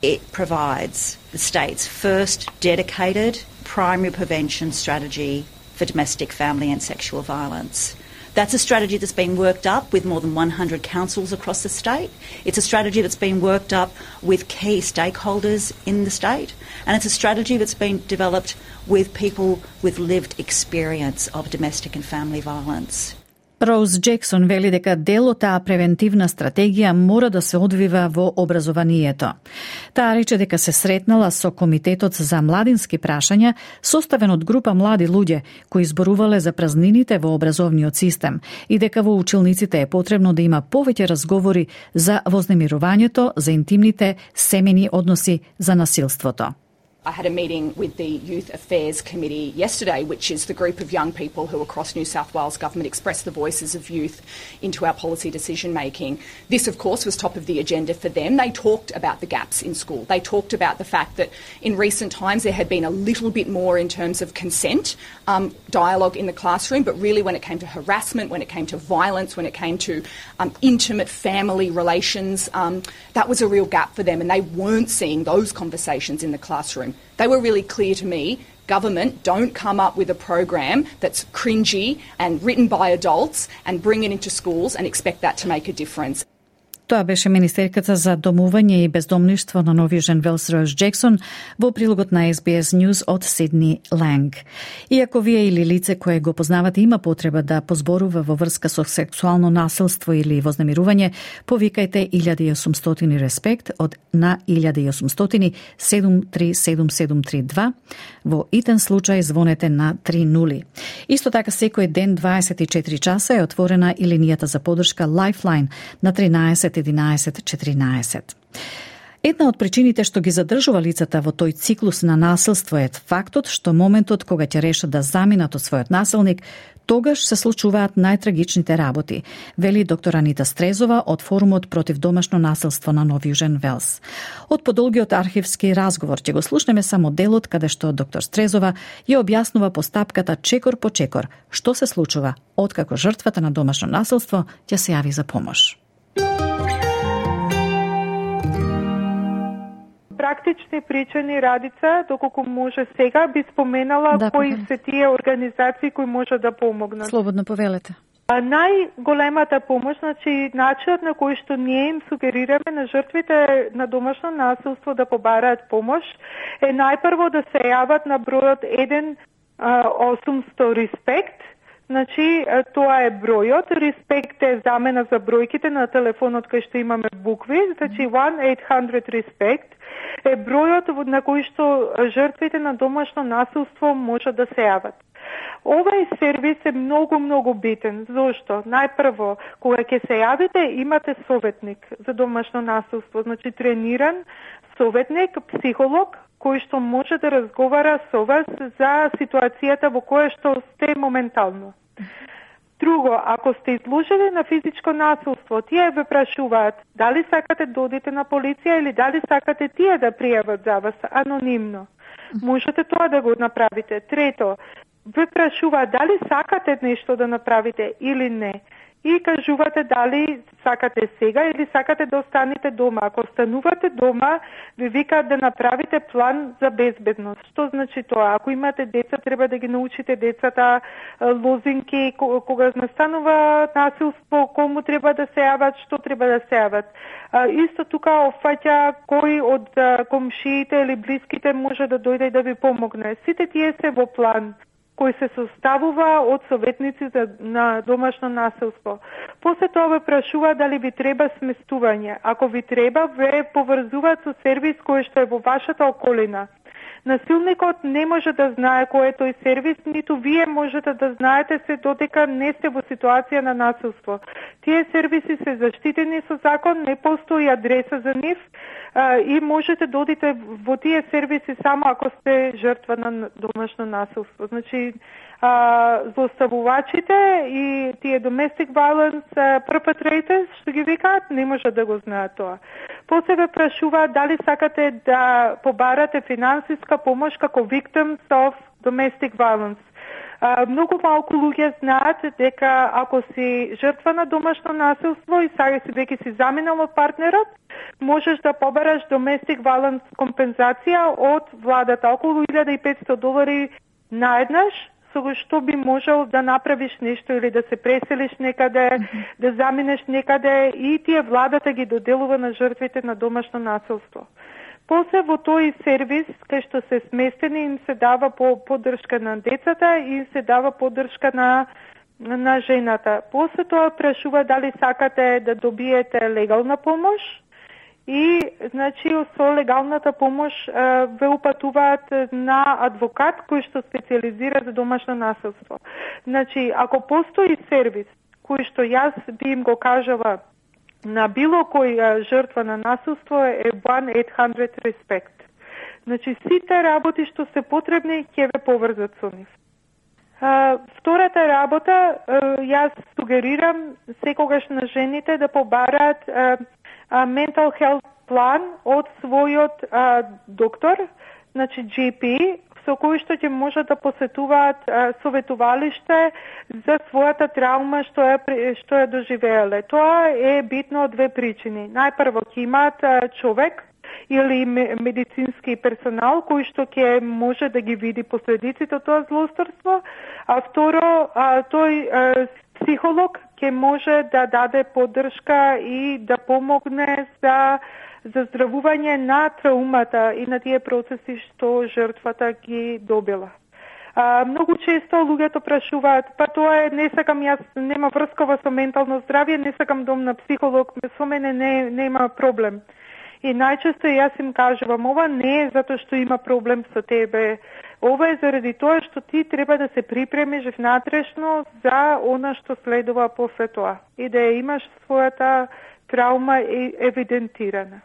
Speaker 19: It provides the state's first dedicated primary prevention strategy for domestic, family and sexual violence. That's a strategy that's been worked up with more than 100 councils across the state. It's a strategy that's been worked up with key stakeholders in the state. And it's a strategy that's been developed with people with lived experience of domestic and family violence.
Speaker 3: Роуз Джексон вели дека дел од таа превентивна стратегија мора да се одвива во образованието. Таа рече дека се сретнала со Комитетот за младински прашања, составен од група млади луѓе кои зборувале за празнините во образовниот систем и дека во училниците е потребно да има повеќе разговори за вознемирувањето, за интимните семејни односи, за насилството.
Speaker 17: I had a meeting with the Youth Affairs Committee yesterday, which is the group of young people who across New South Wales Government express the voices of youth into our policy decision making. This, of course, was top of the agenda for them. They talked about the gaps in school. They talked about the fact that in recent times there had been a little bit more in terms of consent, dialogue in the classroom, but really when it came to harassment, when it came to violence, when it came to intimate family relations, that was a real gap for them, and they weren't seeing those conversations in the classroom. They were really clear to me, government, don't come up with a program that's cringy and written by adults and bring it into schools and expect that to make a difference.
Speaker 3: Тоа беше министерката за домување и бездомништво на Нови Южен Велс Роуз Джексон во прилогот на SBS News од Сидни Ланг. Иако вие или лице кое го познавате има потреба да позборува во врска со сексуално насилство или вознемирување, повикајте 1800 респект од на 1800 737732. Во итен случај звонете на 30. Исто така секој ден 24 часа е отворена и линијата за поддршка Lifeline на 13 11-14. Една од причините што ги задржува лицата во тој циклус на насилство е фактот што моментот кога ќе решат да заминат од својот насилник, тогаш се случуваат најтрагичните работи, вели доктор Анита Стрезова од Форумот против домашно насилство на Нов Южен Велс. Од подолгиот архивски разговор ќе го слушнеме само делот каде што доктор Стрезова ја објаснува постапката чекор по чекор што се случува откако жртвата на домашно насилство ќе се јави за помош.
Speaker 20: Практични причини, Радица, доколку може сега, би споменала кои се тие организации кои може да помогнат.
Speaker 3: Слободно повелете.
Speaker 20: Најголемата помош, значи начинот на кој што ние им сугерираме на жртвите на домашно насилство да побараат помош е најпрво да се јават на бројот 1-800 респект. Значи, тоа е бројот. Респект е замена за бројките на телефонот кај што имаме букви. Значи, 1-800 респект е бројот на кој што жртвите на домашно насилство може да се јават. Овај сервис е многу битен. Зошто? Најпрво, кога ќе се јавите, имате советник за домашно насилство. Значи, трениран советник, психолог, кој што може да разговара со вас за ситуацијата во која што сте моментално. Друго, ако сте изложени на физичко насилство, тие ве прашуваат дали сакате да одите на полиција или дали сакате тие да пријават за вас анонимно. Можете тоа да го направите. Трето, ве прашуваат дали сакате нешто да направите или не. И кажувате дали сакате сега или сакате да останете дома. Ако останувате дома, ви викаат да направите план за безбедност. Што значи тоа? Ако имате деца, треба да ги научите децата лозинки, кога настанува насилство, кому треба да се јават, што треба да се јават. Исто тука офаќа кој од комшиите или блиските може да дојде и да ви помогне. Сите тие се во план кој се составува од советници на домашно насилство. После тоа ве прашува дали ви треба сместување. Ако ви треба, ве поврзуваат со сервис кој што е во вашата околина. Насилникот не може да знае кој е тој сервис, ниту вие можете да знаете се додека не сте во ситуација на насилство. Тие сервиси се заштитени со закон, не постои адреса за нив и можете да одите во тие сервиси само ако сте жртва на домашно насилство. Значи, злоставувачите и тие domestic violence perpetrators, што ги викаат, не може да го знаат тоа. После ве прашуваат дали сакате да побарате финансиска помош како victims of domestic violence. Многу малку луѓе знаат дека ако си жртва на домашно насилство и сега си веќе си заминал од партнерот, можеш да побараш domestic violence компензација од владата, околу $1,500 наеднаш со што би можел да направиш нешто или да се преселиш некаде, да заминеш некаде, и тие владата ги доделува на жртвите на домашно насилство. После во тој сервис, кај што се сместени, им се дава поддршка на децата и им се дава поддршка на жената. После тоа прашува дали сакате да добиете легална помош, и значи со легалната помош ве упатуваат на адвокат кој што специализира за домашно насилство. Значи, ако постои сервис кој што јас би им го кажала на било кој жртва на насилство, е 1-800 RESPECT. Значи, сите работи што се потребни ќе ве поврзат со нив. Втората работа, јас сугерирам секогаш на жените да побараат mental health план од својот доктор, значи GP, со кој што ќе можат да посетуваат советувалиште за својата траума што ја доживеале. Тоа е битно од две причини. Најпрво, ќе имаат човек или медицински персонал кој што ќе може да ги види последиците од тоа злосторство, а второ, тој психолог ќе може да даде поддршка и да помогне за здравување на траумата и на тие процеси што жртвата ги добила. Многу често луѓето прашуваат, па тоа е, не сакам, јас нема врскова со ментално здравје, не сакам дом на психолог, со мене нема проблем. И најчесто јас им кажувам, ова не е затоа што има проблем со тебе, ова е заради тоа што ти треба да се припремиш внатрешно за она што следува после тоа и да ја имаш својата траума евидентирана.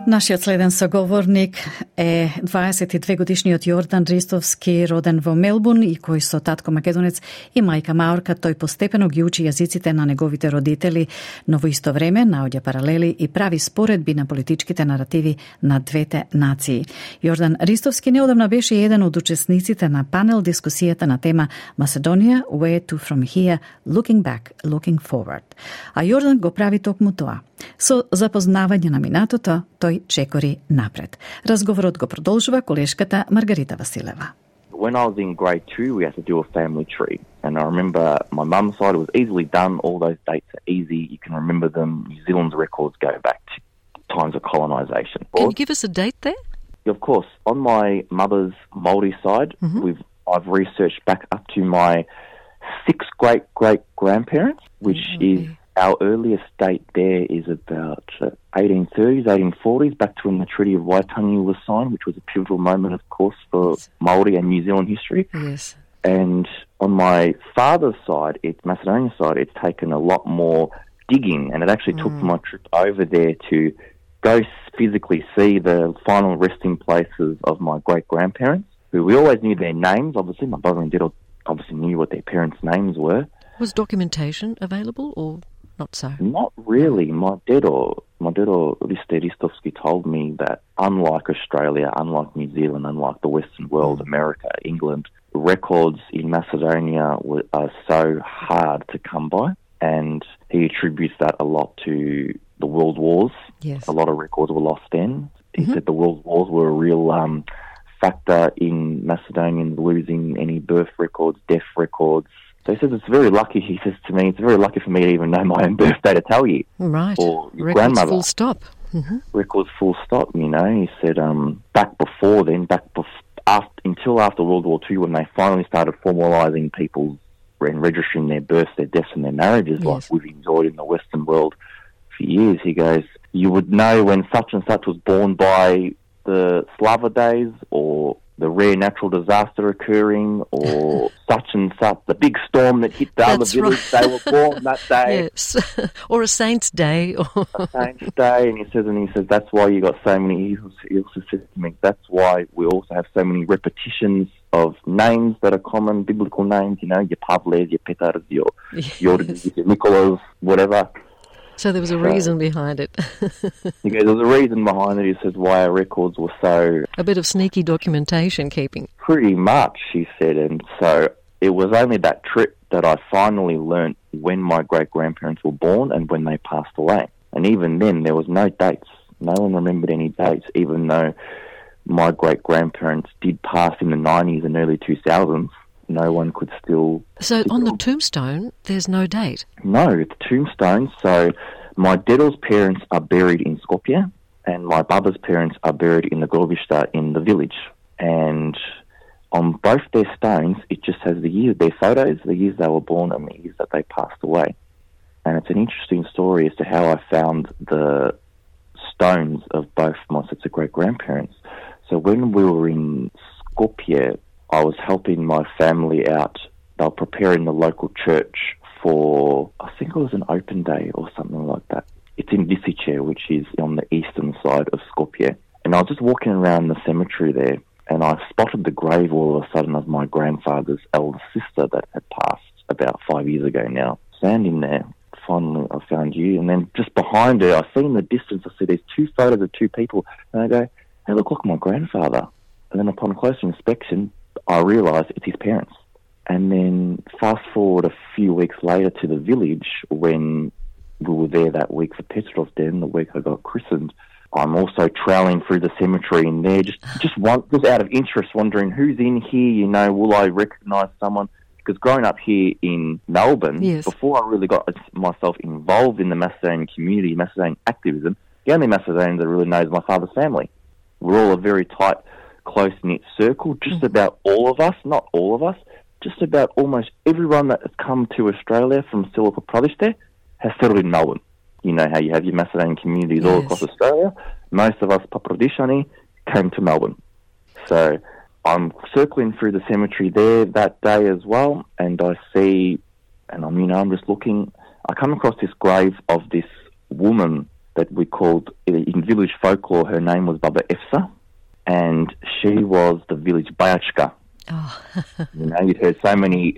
Speaker 3: Нашиот следен соговорник е 22-годишниот Јордан Ристовски, роден во Мелбурн и кој со татко македонец и мајка маорка, тој постепено ги учи јазиците на неговите родители, но во исто време наоѓа паралели и прави споредби на политичките наративи на двете нации. Јордан Ристовски неодамна беше еден од учесниците на панел дискусијата на тема Macedonia, Where to from here, Looking back, looking forward. А Јордан го прави токму тоа. Со запознавање на минатото, тој чекори напред. Разговорот го продолжува колешката Маргарита Василева.
Speaker 21: When I was in grade 2, we had to do a family tree. And I remember my mum's side, it was easily done. All those dates are easy. You can remember them. New Zealand's records go back to times of colonisation.
Speaker 4: Can you give us a date there?
Speaker 21: Of course. On my mother's Māori side, I've researched back up to my 6 great-great-grandparents, which is our earliest date there is about 1830s, 1840s, back to when the Treaty of Waitangi was signed, which was a pivotal moment, of course, for Māori and New Zealand history.
Speaker 4: Yes.
Speaker 21: And on my father's side, Macedonia side, it's taken a lot more digging, and it actually took my trip over there to go physically see the final resting places of my great-grandparents, who we always knew their names. Obviously, my brother and dad obviously knew what their parents' names were.
Speaker 4: Was documentation available or not so?
Speaker 21: Not really. My dad or Ristovski told me that unlike Australia, unlike New Zealand, unlike the Western world, America, England, records in Macedonia are so hard to come by, and he attributes that a lot to the world wars.
Speaker 4: Yes.
Speaker 21: A lot of records were lost then. He said the world wars were a real factor in Macedonians losing any birth records, death records. So he says it's very lucky, he says to me, it's very lucky for me to even know my own birthday to tell you.
Speaker 4: Right.
Speaker 21: Or your
Speaker 4: Records
Speaker 21: grandmother.
Speaker 4: full stop.
Speaker 21: Records full stop, you know. He said back before then, until after World War II, when they finally started formalising people and registering their births, their deaths and their marriages like we've enjoyed in the Western world for years, he goes, you would know when such and such was born by the Slava days or the rare natural disaster occurring or such and such, the big storm that hit the other village, they were born that day.
Speaker 4: Yes, or a saint's day.
Speaker 21: A saint's day, and he says that's why you got so many, he also says to me, that's why we also have so many repetitions of names that are common, biblical names, you know, your Pavles, your Petars, your Jordans, your Nicholas, whatever.
Speaker 4: So there was a reason behind it.
Speaker 21: He goes, there was a reason behind it. He says why our records were so...
Speaker 4: A bit of sneaky documentation keeping.
Speaker 21: Pretty much, he said. And so it was only that trip that I finally learnt when my great-grandparents were born and when they passed away. And even then, there was no dates. No one remembered any dates, even though my great-grandparents did pass in the 90s and early 2000s, no one could still...
Speaker 4: So on the tombstone, there's no date?
Speaker 21: No, it's tombstone. So my dad's parents are buried in Skopje and my baba's parents are buried in the Grobišta in the village. And on both their stones, it just has the year, their photos, the years they were born and the years that they passed away. And it's an interesting story as to how I found the stones of both my sets of great-grandparents. So when we were in Skopje, I was helping my family out. They were preparing the local church for, I think it was an open day or something like that. It's in Visice, which is on the eastern side of Skopje. And I was just walking around the cemetery there, and I spotted the grave all of a sudden of my grandfather's elder sister that had passed about 5 years ago now. Standing there, finally I found you, and then just behind her, I see in the distance, I see there's two photos of two people, and I go, they look like my grandfather. And then upon closer inspection, I realised it's his parents. And then fast forward a few weeks later to the village, when we were there that week for Petrov Den, the week I got christened, I'm also trailing through the cemetery in there, just out of interest, wondering who's in here, will I recognise someone? Because growing up here in Melbourne, yes, before I really got myself involved in the Macedonian community, Macedonian activism, the only Macedonian that really knows my father's family. We're all a very tight, close-knit circle. Just about all of us, not all of us, just about almost everyone that has come to Australia from Silo Popradište has settled in Melbourne. You know how you have your Macedonian communities all across Australia. Most of us Popradishani came to Melbourne. So I'm circling through the cemetery there that day as well, and I see, and I'm just looking, I come across this grave of this woman that we called, in village folklore, her name was Baba Efsa, and she was the village Bayachka.
Speaker 4: Oh.
Speaker 21: You'd heard so many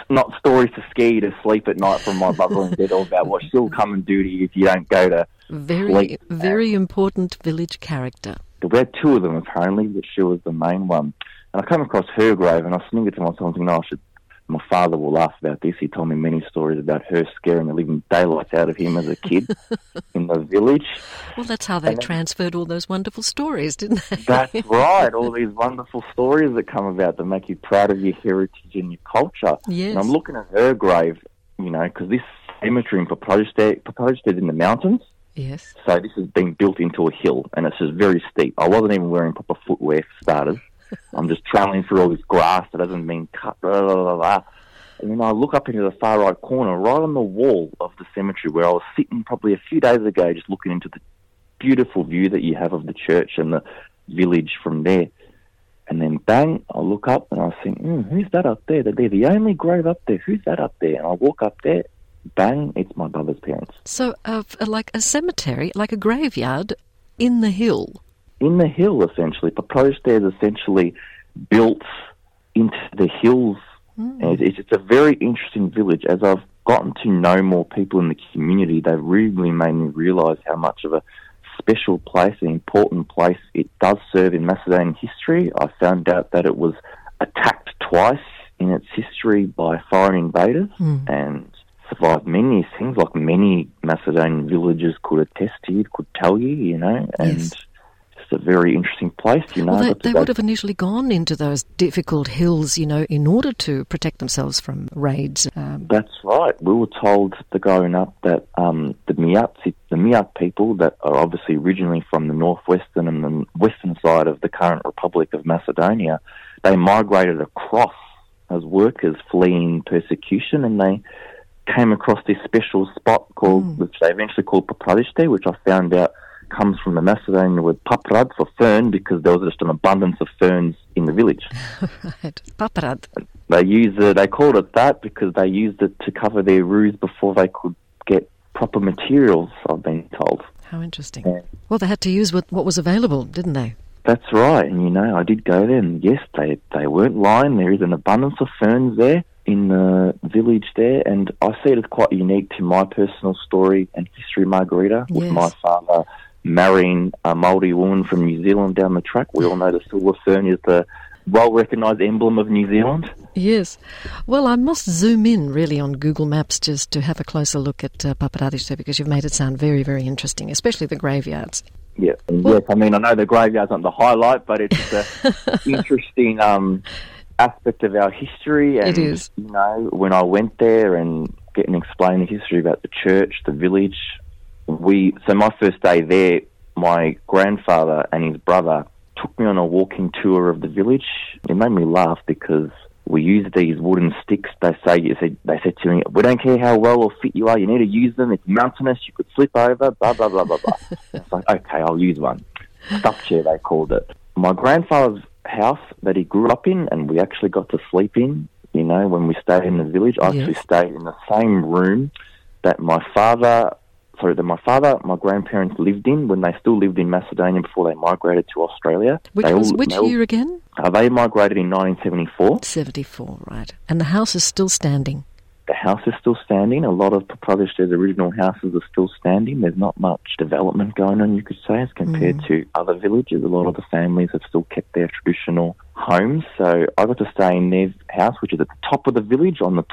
Speaker 21: not stories to scare you to sleep at night from my mother and dad, all about what she'll come and do to you if you don't go to sleep.
Speaker 4: Very important village character.
Speaker 21: We had two of them apparently, but she was the main one. And I come across her grave and I was thinking to myself, my father will laugh about this. He told me many stories about her scaring the living daylights out of him as a kid in the village.
Speaker 4: Well, that's how they transferred all those wonderful stories, didn't they?
Speaker 21: That's right, all these wonderful stories that come about that make you proud of your heritage and your culture.
Speaker 4: Yes.
Speaker 21: And I'm looking at her grave, because this cemetery in Popradište is in the mountains.
Speaker 4: Yes.
Speaker 21: So this has been built into a hill, and it's just very steep. I wasn't even wearing proper footwear for starters. I'm just travelling through all this grass that hasn't been cut, And then I look up into the far right corner, right on the wall of the cemetery where I was sitting probably a few days ago, just looking into the beautiful view that you have of the church and the village from there. And then bang, I look up and I think, who's that up there? They're the only grave up there. Who's that up there? And I walk up there, bang, it's my brother's parents.
Speaker 4: So like a cemetery, like a graveyard in the hill?
Speaker 21: In the hill, essentially. Popradište is essentially built into the hills. And it's a very interesting village. As I've gotten to know more people in the community, they've really made me realise how much of a special place, an important place it does serve in Macedonian history. I found out that it was attacked twice in its history by foreign invaders and survived many things, like many Macedonian villages could attest to you, could tell you, and
Speaker 4: yes.
Speaker 21: It's a very interesting place,
Speaker 4: Well, they would have initially gone into those difficult hills, in order to protect themselves from raids.
Speaker 21: That's right. We were told growing up that the Miat people that are obviously originally from the northwestern and the western side of the current Republic of Macedonia, they migrated across as workers fleeing persecution, and they came across this special spot which they eventually called Popradište, which I found out comes from the Macedonian word paprad for fern, because there was just an abundance of ferns in the village.
Speaker 4: Right, paprad.
Speaker 21: They called it that because they used it to cover their roofs before they could get proper materials, I've been told.
Speaker 4: How interesting. Yeah. Well, they had to use what was available, didn't they?
Speaker 21: That's right, and I did go there, and yes, they weren't lying. There is an abundance of ferns there in the village there, and I see it as quite unique to my personal story and history, Margarita, with my father marrying a Māori woman from New Zealand down the track. We all know the silver fern is the well-recognised emblem of New Zealand.
Speaker 4: Yes. Well, I must zoom in really on Google Maps just to have a closer look at Popradište, because you've made it sound very, very interesting, especially the graveyards.
Speaker 21: Yeah. Yes, I mean, I know the graveyard's not the highlight, but it's an interesting aspect of our history. And,
Speaker 4: it is.
Speaker 21: You know, when I went there and getting explained the history about the church, the village, so my first day there, my grandfather and his brother took me on a walking tour of the village. It made me laugh because we used these wooden sticks. They said to me, "We don't care how well or fit you are, you need to use them. It's mountainous, you could slip over, blah, blah, blah, blah, blah." It's like, okay, I'll use one. Stuff chair, they called it. My grandfather's house that he grew up in, and we actually got to sleep in, you know, when we stayed in the village. I actually stayed in the same room that my grandparents lived in when they still lived in Macedonia before they migrated to Australia.
Speaker 4: Which year again?
Speaker 21: They migrated in 1974.
Speaker 4: 74, right. And the house is still standing?
Speaker 21: The house is still standing. A lot of Papadish's original houses are still standing. There's not much development going on, you could say, as compared to other villages. A lot of the families have still kept their traditional homes. So I got to stay in their house, which is at the top of the village, almost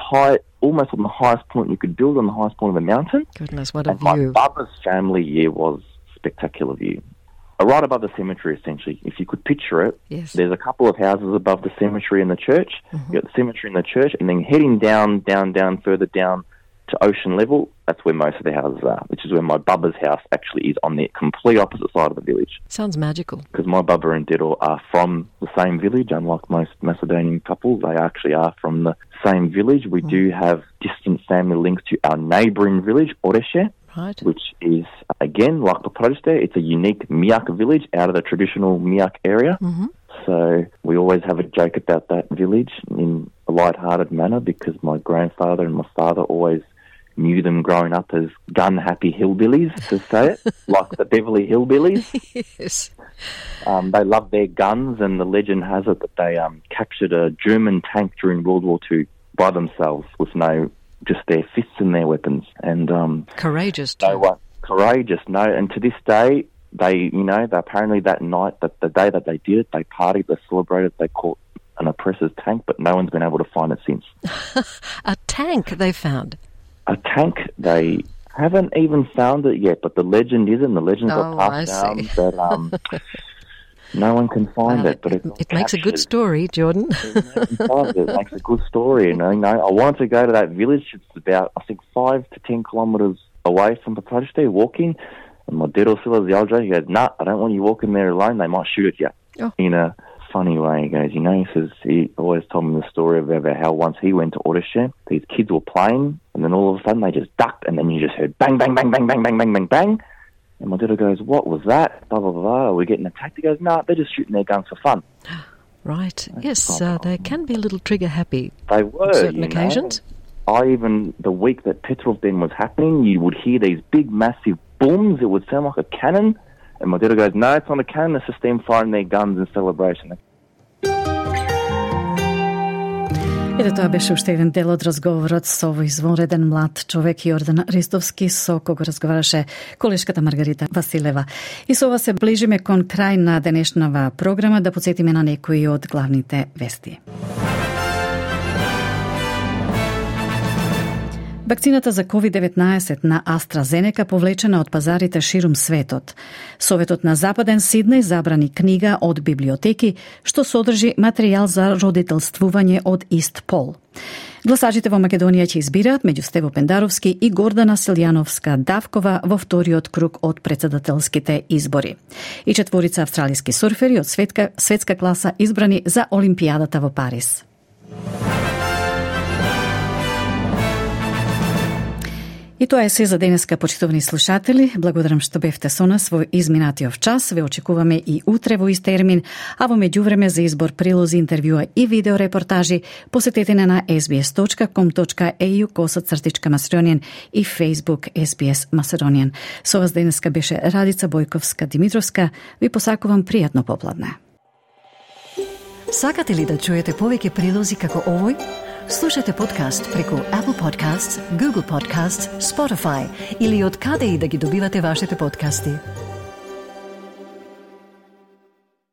Speaker 21: on the highest point you could build, on the highest point of the mountain.
Speaker 4: Goodness, what a view.
Speaker 21: My Baba's family was spectacular view. Right above the cemetery, essentially. If you could picture it, there's a couple of houses above the cemetery and the church. You've got the cemetery and the church, and then heading down, further down to ocean level, that's where most of the houses are, which is where my Baba's house actually is, on the complete opposite side of the village.
Speaker 4: Sounds magical.
Speaker 21: Because my Baba and Diddle are from the same village, unlike most Macedonian couples. They actually are from the same village. We do have distant family links to our neighbouring village, Oreshe.
Speaker 4: Right.
Speaker 21: Which is, again, like Papadiste, it's a unique Miak village out of the traditional Miak area. So we always have a joke about that village in a light-hearted manner, because my grandfather and my father always knew them growing up as gun-happy hillbillies, to say it, like the Beverly Hillbillies.
Speaker 4: Yes.
Speaker 21: They love their guns, and the legend has it that they captured a German tank during World War II by themselves with just their fists and their weapons. And
Speaker 4: courageous too.
Speaker 21: They were courageous, and to this day, they apparently that night, the day that they did it, they partied, they celebrated, they caught an oppressor's tank, but no one's been able to find it since.
Speaker 4: A tank they found?
Speaker 21: A tank, they haven't even found it yet, but the legend is, and the legend got passed down that no one can find it. But
Speaker 4: it makes a good story, Jordan.
Speaker 21: It makes a good story. And I wanted to go to that village. It's about, I think, 5 to 10 kilometres away from Papadiste, walking. And my dad also was the older. He goes, "Nah, I don't want you walking there alone. They might shoot at you." In a funny way, he goes, he says, he always told me the story about how once he went to Oreshe, these kids were playing, and then all of a sudden they just ducked, and then you just heard bang, bang, bang, bang, bang, bang, bang, bang, bang. And my dad goes, "What was that? Blah, blah, blah. Are we getting attacked?" He goes, "No, they're just shooting their guns for fun."
Speaker 4: Right. Yes, they can be a little trigger-happy.
Speaker 21: They were,
Speaker 4: on certain occasions.
Speaker 21: The week that Petrov then was happening, you would hear these big, massive booms. It would sound like a cannon. And my dad goes, "No, it's not a cannon. It's just them firing their guns in celebration."
Speaker 3: Ете, тоа беше уште еден дел од разговорот со овој извонреден млад човек Јордан Ристовски, со кого разговараше колешката Маргарита Василева. И со ова се ближиме кон крај на денешнава програма, да потсетиме на некои од главните вести. Вакцината за COVID-19 на AstraZeneca повлечена од пазарите ширум светот. Советот на Западен Сиднеј забрани книга од библиотеки што содржи материјал за родителствување од ист пол. Гласачите во Македонија ќе избираат меѓу Стево Пендаровски и Гордана Силјановска-Давкова во вториот круг од председателските избори. И четворица австралиски сурфери од светска класа избрани за Олимпијадата во Париз. И тоа е се за денеска, почитувани слушатели. Благодарам што бевте со нас во изминатиот час. Ве очекуваме и утре во ист термин, а во меѓувреме за избор прилози, интервјуа и видеорепортажи посетете на sbs.com.au/Macedonian и Facebook SBS Macedonian. Со вас денеска беше Радица Бојковска-Димитровска. Ви посакувам пријатно попладне.
Speaker 1: Сакате ли да чуете повеќе прилози како овој? Слушате подкаст преку Apple Podcasts, Google Podcasts, Spotify или од каде и да ги добивате вашите подкасти.